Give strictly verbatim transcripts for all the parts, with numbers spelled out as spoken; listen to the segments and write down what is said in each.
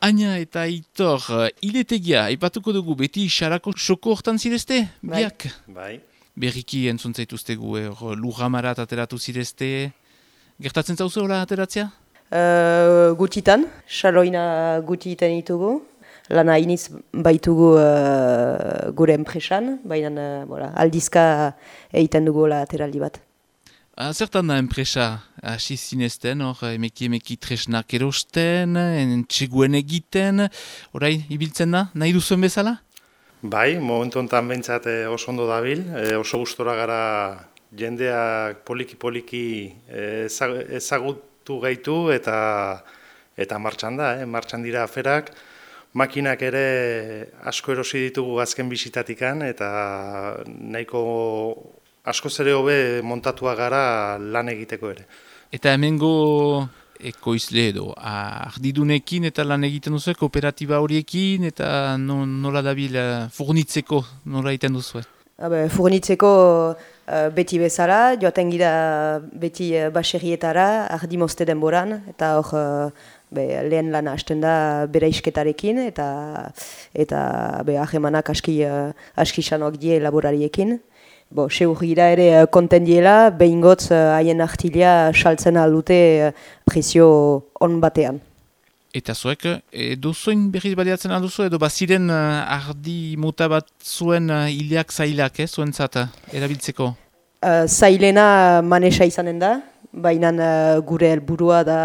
Aina eta Aitor, hiletegia, aipatuko dugu, beti xarako soko hortan zirezte, biak? Bai. Berriki entzuntzaituztegu, er, lujamarat ateratu zirezte, gertatzen zauzu hola ateratzea? Uh, gutitan, xaloina gutiten ditugu. Lana iniz baitugu uh, gure enpresan, baina uh, voilà, aldizka egiten dugu la ateraldi bat. Ah, zertan da enpresa, hasi zinezten, hor emeki emeki tresnak erosten, entxeguen egiten, orai, ibiltzen da, nahi duzuen bezala? Bai, momentu honetan behintzat oso ondo dabil, e, oso gustora gara jendeak poliki-poliki ezagutu gaitu eta eta martxan da, eh? Martxan dira aferak, makinak ere asko erosi ditugu azken bisitatikan eta nahiko asko zere hobe montatua gara lan egiteko ere. Eta hemengo ekoizle edo, ardidunekin eta lan egiten duzu, kooperatiba horiekin eta no, nola dabil furnitzeko nola egiten duzu? Habe, furnitzeko uh, beti bezala, joaten gira beti uh, baserrietara, ardi mozte denboran, eta hor uh, be, lehen lana hasten da bere isketarekin, eta, eta be, ahemanak aski, uh, aski sanoak die laborariekin. Bo, seur gira ere konten diela, behin gotz haien artilia saltzen aldute prezio on batean. Eta zuek, edo zoin berriz baliatzen alduzu, edo baziren ardi mota bat zuen hileak zailak, eh, zuen zata, erabiltzeko? Uh, zailena manesa izanen da, baina uh, gure helburua da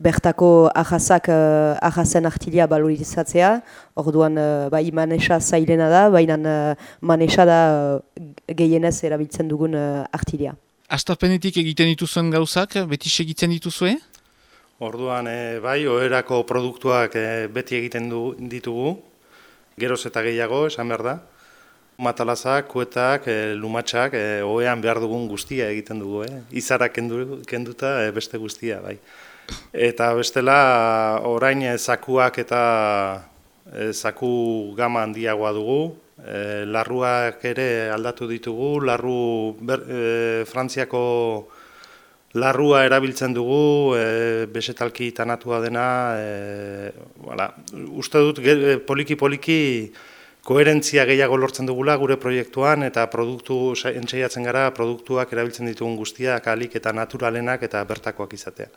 bertako ahazak, uh, ahazen artilia balorizatzea. Orduan, uh, bai manesa zailena da, baina uh, manesa da uh, gehienez erabiltzen dugun uh, artilia. Astapenetik egiten dituzuen gauzak, beti segitzen dituzue? Orduan, e, bai, oherako produktuak e, beti egiten du, ditugu, geroz eta gehiago, esan behar da. Matalazak, kuetak, e, lumatxak, e, ohean behar dugun guztia egiten dugu, eh? Izarak kendu, kenduta e, beste guztia, bai. Eta bestela, orain e, zakuak eta e, zaku gama handiagoa dugu, e, larruak ere aldatu ditugu, larru ber, e, Frantziako larrua erabiltzen dugu, e, besetalki tanatua dena, e, voilà. Uste dut poliki-poliki koherentzia gehiago lortzen dugula gure proiektuan eta produktu entzaiatzen gara produktuak erabiltzen ditugun guztiak alik eta naturalenak eta bertakoak izatea.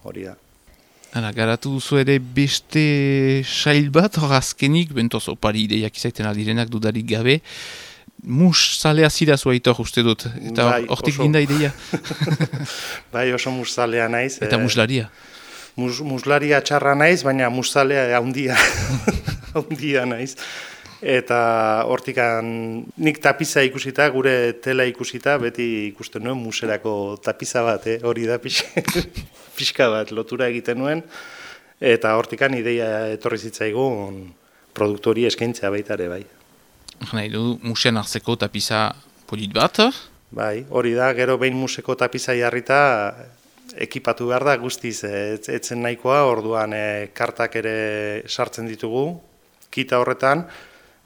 Hori da. Hala, garatu duzu ere beste sail bat, hor azkenik, bentoz opari ideiak izaiten aldirenak dudarik gabe, mus zalea zira zua Aitor uste dut, eta bai, hortik ginda ideia. Bai, oso mus zalea naiz. Eta muslaria. Mus, muslaria txarra naiz, baina mus zalea haundia, haundia naiz. Eta hortikan nik tapiza ikusita, gure tela ikusita, beti ikusten nuen muserako tapiza bat, eh? Hori da pixka bat lotura egiten nuen, eta hortikan ideia etorri zitzaigun produktu hori eskaintzea baita ere, bai. Nahi du, musean hartzeko tapiza polit bat? Bai, hori da, gero behin museko tapiza jarrita ekipatu behar da guztiz, etzen nahikoa, orduan e, kartak ere sartzen ditugu, kita horretan,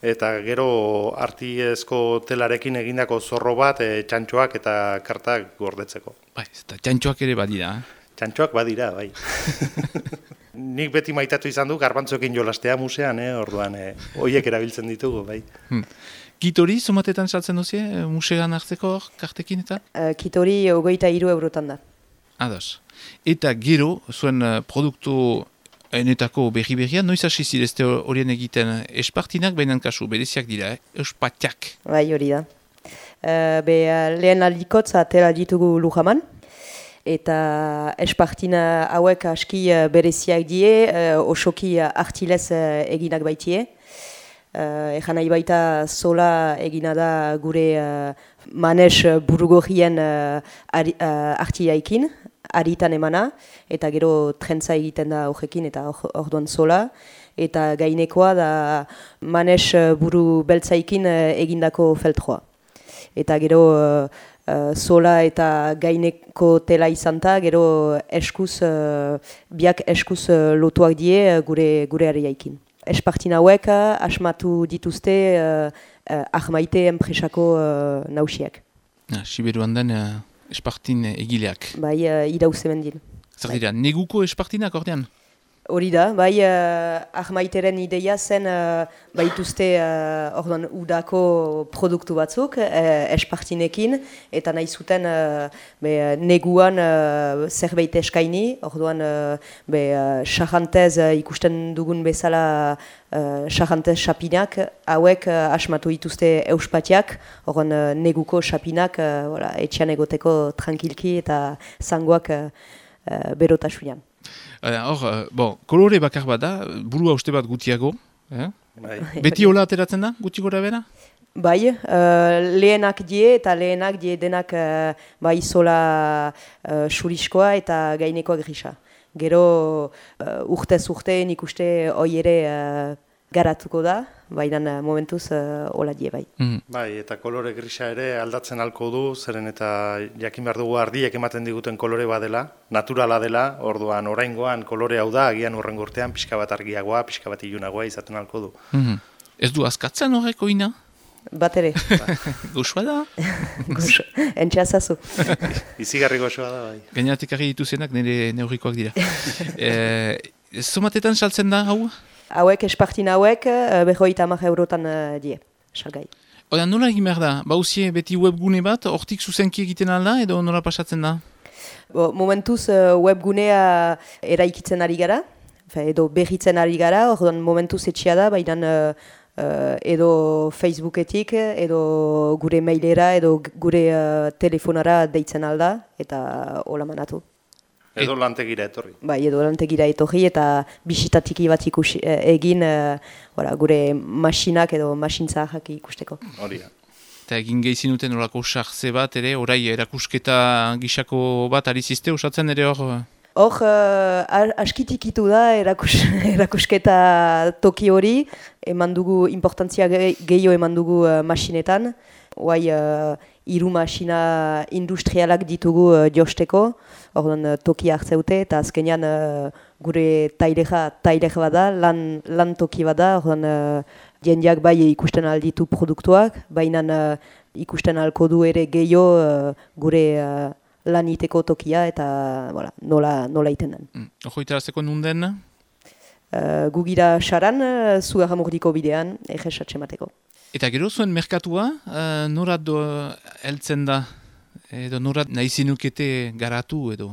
eta gero artiezko telarekin egindako zorro bat, e, txantxoak eta kartak gordetzeko. Bai, eta txantxoak ere badira. Eh? Txantxoak badira, bai. Nik beti maitatu izan du, garbantzoekin jolastea musean, eh? Orduan, eh, hoiek erabiltzen ditugu, bai. Hmm. Kit hori, somatetan saltzen duzie, musean hartzeko kartekin eta? Uh, kit hori hogeita hiru eurotan da. Ados. Eta gero, zuen uh, produktu enetako berri-berria, noiz hasi zirezte horien egiten espartinak, baina kasu, bereziak dira, eh? Espatiak. Bai, hori da. Uh, be, uh, lehen aldikotza atera ditugu Lujaman, eta espartina hauek aski uh, bereziak die, uh, osoki uh, artilez uh, eginak baitie. Uh, Egan nahi baita sola egina da gure uh, manes burugorrien uh, ari, uh, artiaikin, aritan emana, eta gero trentza egiten da horrekin eta orduan sola. Eta gainekoa da manes buru beltzaikin egindako feltroa. Eta gero uh, uh, sola eta gaineko tela izan da, gero eskuz, uh, biak eskuz uh, lotuak die uh, gure, gure ariaikin. Espartin hauek asmatu dituzte uh, uh, ahmaite enpresako uh, nausiak. Ah, Siberuan den uh, espartin egileak. Bai, uh, irauze mendin. Zer dira, neguko espartinak ordean? Hori da, bai, uh, Ahmaiteren ideia zen uh, baituzte uh, orduan udako produktu batzuk, uh, espartinekin, eta nahi zuten uh, be, neguan uh, zerbait eskaini, orduan uh, be, uh, xarrantez uh, ikusten dugun bezala uh, xarrantez xapinak, hauek uh, asmatu dituzte euspatiak, orduan uh, neguko xapinak uh, voilà, etxean egoteko tranquilki eta zangoak uh, uh, berotasunean. Hor, uh, bon, kolore bakar bat da, burua uste bat gutiago. Eh? Bai. Beti hola ateratzen da, guti gora bera? Bai, uh, lehenak die eta lehenak die denak uh, bai zola uh, xuriskoa eta gaineko grisa. Gero uh, urtez urte nik uste hoi ere uh, garatuko da, baina uh, momentuz uh, hola die bai. Mm. Bai, eta kolore grisa ere aldatzen halko du, zeren eta jakin behar dugu ardiek ematen diguten kolore badela, naturala dela, orduan oraingoan kolore hau da, agian urrengo urtean pixka bat argiagoa, pixka bat ilunagoa izaten halko du. Mm-hmm. Ez du askatzen horreko ina? Bat ere. Goxoa da? Goxo, entxeazazu. Izigarri goxoa da, bai. Gainatik argi dituzenak nire neurrikoak dira. e, Zomatetan saltzen da hau? Hauek, espartin hauek, uh, berroita hamar eurotan uh, die, salgai. Oda, nola egin behar da? Bauzie beti webgune bat, hortik zuzenki egiten alda edo nola pasatzen da? Bo, momentuz uh, webgunea eraikitzen ari gara, fe, edo berritzen ari gara, orduan momentuz etxea da, baina uh, uh, edo Facebooketik, edo gure mailera, edo gure uh, telefonara deitzen alda, eta hola manatu. Edo lantegira etorri. Bai, edo lantegira etorri eta bisitatiki bat ikusi, eh, egin eh, ora, gure masinak edo masintzahak ikusteko. Hori da. Eta egin gehizinuten horako sartze bat ere, orai erakusketa gisako bat ari ziste, osatzen ere hor? Hor, uh, askitikitu da erakus, erakusketa toki hori, eman dugu importantzia gehiago eman dugu uh, masinetan, Hoai, uh, hiru masina industrialak ditugu uh, josteko, orduan uh, toki hartzeute, eta azkenean uh, gure taileja tailej bada, lan, lan toki bada, orduan uh, jendeak bai ikusten alditu produktuak, baina uh, ikusten alko du ere gehiago uh, gure uh, lan iteko tokia, eta voilà, nola, nola iten den. Mm. Ojo itarazteko nunden? Uh, gugira xaran, uh, zugarramurdiko bidean, egesatxe mateko. Eta gero zuen merkatua, uh, norat do heltzen da, edo norat nahi zinukete garatu edo?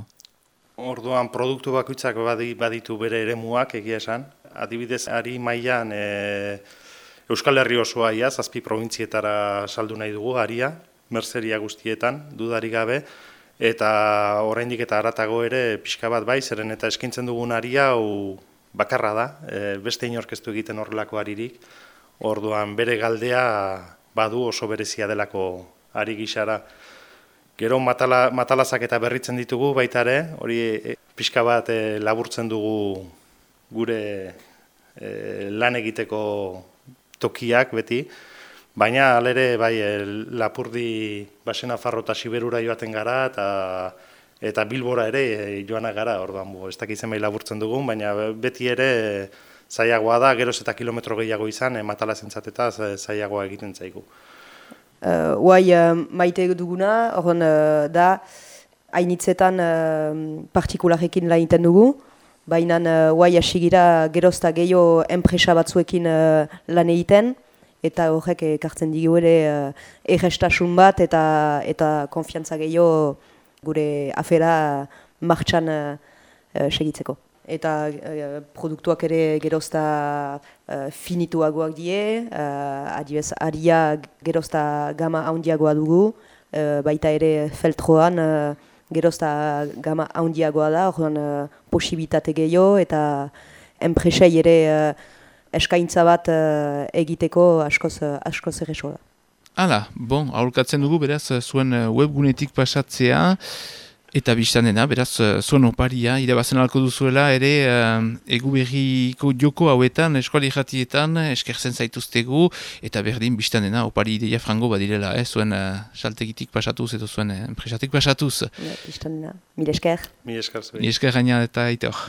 Orduan produktu bakoitzak baditu bere eremuak egia esan. Adibidez, ari mailan e, Euskal Herri osoa ia, zazpi probintzietara saldu nahi dugu, aria, merzeria guztietan, dudarik gabe, eta oraindik eta haratago ere pixka bat bai, zeren eta eskaintzen dugun aria hau bakarra da, e, beste inorkeztu egiten horrelako aririk. Orduan bere galdea badu oso berezia delako ari gisara. Gero matala, matalazak eta berritzen ditugu baita ere, hori e, pixka bat e, laburtzen dugu gure e, lan egiteko tokiak beti, baina alere bai e, Lapurdi, Basenafarro eta Siberura joaten gara eta eta Bilbora ere e, joanak gara, orduan bo, ez dakitzen bai laburtzen dugun, baina beti ere e, zailagoa da, geroz eta kilometro gehiago izan, e, matalazentzat eta zailagoa egiten zaigu. Uh, Hoai uh, maite duguna, horren uh, da, hainitzetan uh, partikularekin lan egiten dugu, baina hoai uh, asigira gerozta gehiago enpresa batzuekin uh, lan egiten, eta horrek ekartzen digu ere uh, errestasun bat eta eta konfiantza gehiago gure afera martxan uh, uh, segitzeko. Eta uh, produktuak ere gerozta uh, finituagoak die, uh, adibez, aria gerozta gama haundiagoa dugu, uh, baita ere feltroan uh, gerozta gama haundiagoa da, orduan uh, posibilitate gehiago eta enpresei ere uh, eskaintza bat uh, egiteko askoz, uh, askoz erresoa da. Hala, bon, aholkatzen dugu, beraz, zuen webgunetik pasatzea, eta biztan dena, beraz, zuen oparia, irabazen alko duzuela, ere, uh, eguberriko joko hauetan, eskuali jatietan, eskertzen zaituztegu, eta berdin, biztan dena, opari ideia frango badirela, eh, zuen uh, saltegitik pasatuz, edo zuen uh, enpresatik pasatuz. Biztan dena, mil esker. Mil esker. Mil esker gaina eta aitor.